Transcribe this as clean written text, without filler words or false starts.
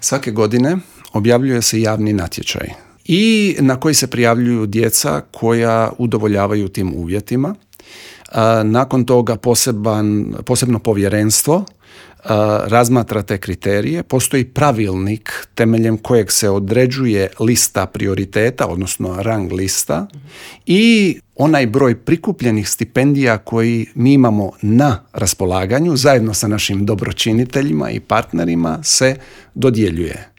Svake godine objavljuje se javni natječaj i na koji se prijavljuju djeca koja udovoljavaju tim uvjetima. Nakon toga posebno povjerenstvo razmatra te kriterije. Postoji pravilnik temeljem kojeg se određuje lista prioriteta, odnosno rang lista, i onaj broj prikupljenih stipendija koji mi imamo na raspolaganju zajedno sa našim dobročiniteljima i partnerima se dodjeljuje.